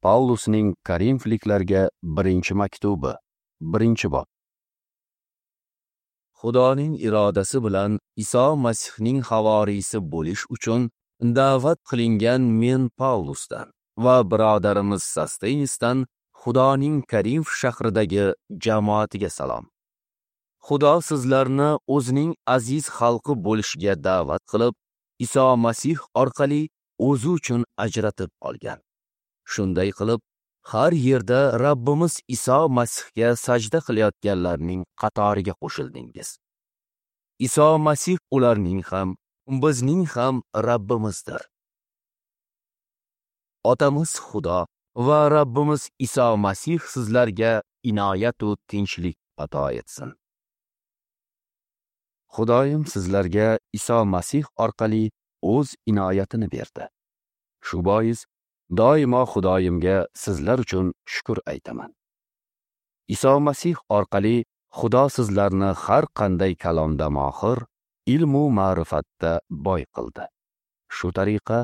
Pavlusning Korinfliklarga birinchi maktubi, 1-bob. Xudoning irodasi bilan Iso Masihning havoriysi bo'lish uchun da'vat qilingan men Pavlusdan va birodarimiz Sostenisdan Xudoning Korinf shahridagi jamoatiga salom. Xudo sizlarni o'zining aziz xalqi bo'lishga da'vat qilib, Iso Masih orqali o'zi uchun ajratib olgan. Shunday qilib, har yerda Rabbimiz Iso Masihga sajda qilayotganlarning qatoriga qo'shildingiz. Iso Masih ularning ham, bizning ham Rabbimizdir. Otamiz Xudo va Rabbimiz Iso Masih sizlarga inoyat va tinchlik ato etsin. Xudoyim sizlarga Iso Masih orqali o'z inoyatini berdi. Shu bois doimo Xudoyimga sizlar uchun shukr aytaman. Iso Masih orqali Xudo sizlarni har qanday kalomda mohir, ilm u ma'rifatda boy qildi. Shu tariqa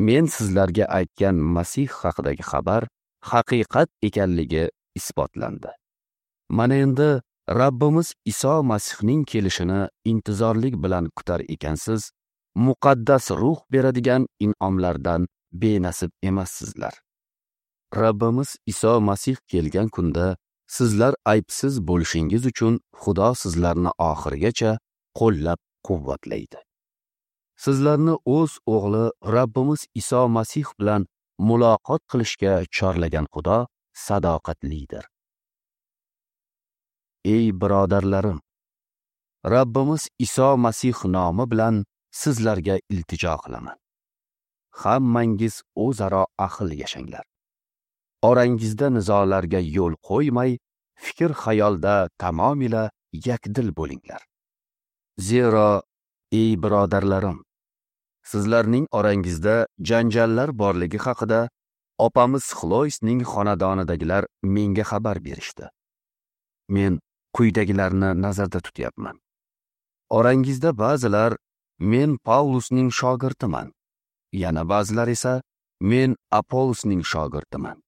men sizlarga aytgan Masih haqidagi xabar haqiqat ekanligi isbotlandi. Mana endi Rabbimiz Iso Masihning kelishini intizorlik bilan kutar ekansiz, muqaddas ruh beradigan in'omlardan benasib emassizlar. Rabbimiz Iso Masih kelgan kunda sizlar aybsiz bo'lishingiz uchun Xudo sizlarni oxirigacha qo'llab quvvatlaydi. Sizlarni o'z o'g'li Rabbimiz Iso Masih bilan muloqot qilishga chorlagan Xudo sadoqatlidir. Ey birodarlarim, Rabbimiz Iso Masih nomi bilan sizlarga iltijo qilaman. Hammangiz o'zaro ahil yashanglar. Orangizda nizolarga yo'l qo'ymay, fikr xayolda tamomila yakdil bo'linglar. Zero, ey birodarlarim, sizlarning orangizda janjallar borligi haqida opamiz Xloisning xonadonidagilar menga xabar berishdi. Men quyidagilarni nazarda tutyapman. Orangizda ba'zilar men Pavlusning shogirdiman, yana ba'zilar esa men Apollosning shogirdiman.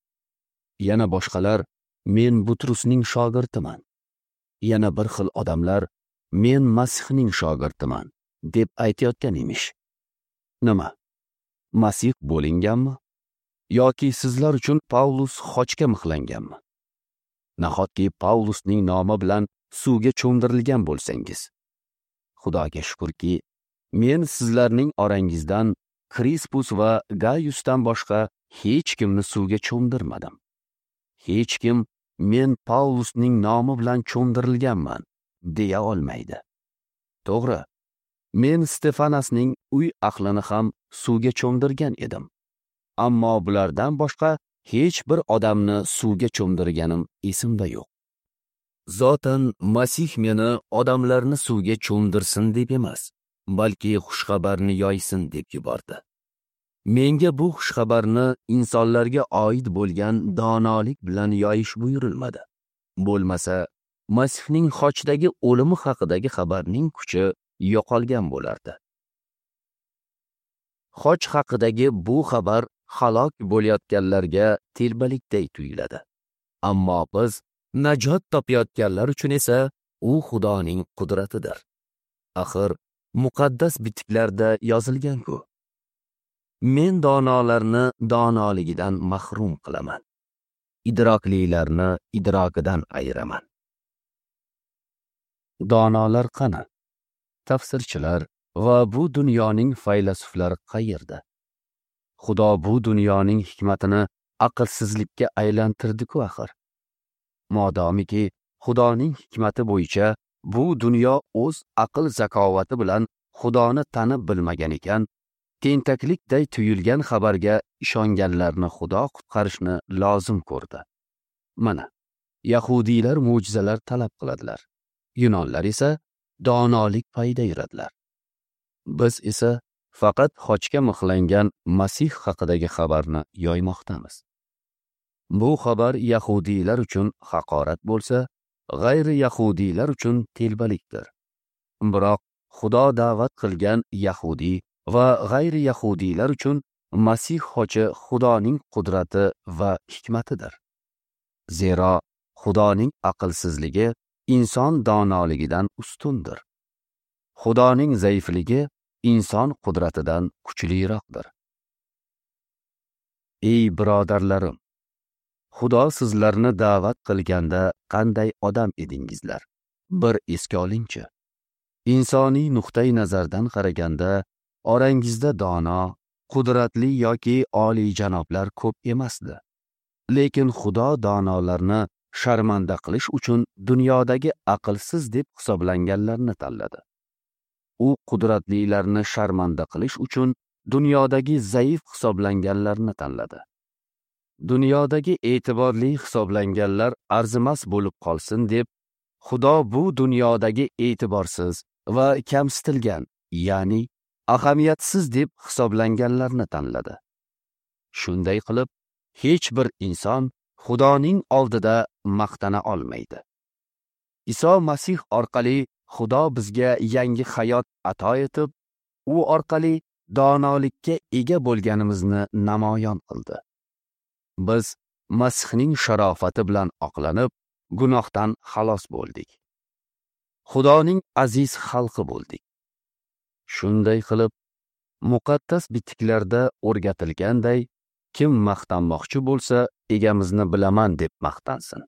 Yana boshqalar men Butrusning shogirdiman. Yana bir xil odamlar men Masihning shogirdiman deb aytayotgan emish. Nima? Masih bo'linganmi? Yoki sizlar uchun Pavlus xochga mixlanganmi? Nahotki Pavlusning nomi bilan suvga cho'mdirilgan bo'lsangiz? Xudoga shukrki, men sizlarning orangizdan Krispus va Gayusdan boshqa hech kimni suvga cho'mdirmadim. Hech kim men Pavlusning nomi bilan cho'mdirilganman deya olmaydi. To'g'ri, men Stefanasning uy ahlini ham suvga cho'mdirgan edim. Ammo bulardan boshqa hech bir odamni suvga cho'mdirganim esimda yo'q. Zotan Masih meni odamlarni suvga cho'mdirsin deb emas, balki xushxabarni yoysin deb yubordi. Menga bu xushxabarni insonlarga oid bo'lgan donolik bilan yoyish buyurilmadi. Bo'lmasa, Masihning xochdagi o'limi haqidagi xabarning kuchi yo'qolgan bo'lardi. Xoch haqidagi bu xabar halok bo'layotganlarga telbalikday tuyuladi. Ammo biz najot topayotganlar uchun esa u Xudoning qudratidir. Axir muqaddas bitiklarda yozilgan-ku. Men donolarni donoligidan mahrum qilaman. Idroklilarni idrokidan ayiraman. Donolar qani? Tafsirchilar va bu dunyoning faylasuflari qayerda? Xudo bu dunyoning hikmatini aqlsizlikka aylantirdi-ku axir. Modomiki Xudoning hikmati bo'yicha bu dunyo o'z aql zakovati bilan Xudoni tanib bilmagan ekan, tentaklikday tuyulgan xabarga ishonganlarni Xudo qutqarishni lozim ko'rdi. Mana, yahudiylar mo'jizalar talab qiladilar. Yunonlar esa donolik payida yuradilar. Biz esa faqat xochga mixlangan Masih haqidagi xabarni yoymoqdamiz. Bu xabar yahudiylar uchun haqorat bo'lsa, g'ayri yahudiylar uchun telbalikdir. Biroq Xudo da'vat qilgan yahudiy va g'ayri yahudiylar uchun Masih xochi Xudoning qudrati va hikmatidir. Zero Xudoning aqlsizligi inson donoligidan ustundir. Xudoning zaifligi inson qudratidan kuchliroqdir. Ey birodarlarim, Xudo sizlarni da'vat qilganda qanday odam edingizlar? Bir esga olingchi. Insoniy nuqtai nazardan qaraganda orangizda dono, qudratli yoki oliyjanoblar ko'p emasdi. Lekin Xudo donolarni sharmanda qilish uchun dunyodagi aqlsiz deb hisoblanganlarni tanladi. U qudratlilarni sharmanda qilish uchun dunyodagi zaif hisoblanganlarni tanladi. Dunyodagi e'tiborli hisoblanganlar arzimas bo'lib qolsin deb Xudo bu dunyodagi e'tiborsiz va kamsitilgan, ya'ni ahamiyatsiz deb hisoblanganlarni tanladi. Shunday qilib, hech bir inson Xudoning oldida maqtana olmaydi. Iso Masih orqali Xudo bizga yangi hayot ato etib, u orqali donolikka ega bo'lganimizni namoyon qildi. Biz Masihning sharofati bilan oqlanib, gunohdan xalos bo'ldik. Xudoning aziz xalqi bo'ldik. Shunday qilib, muqaddas bitiklarda o'rgatilganday, kim maqtanmoqchi bo'lsa, egamizni bilaman deb maqtansin.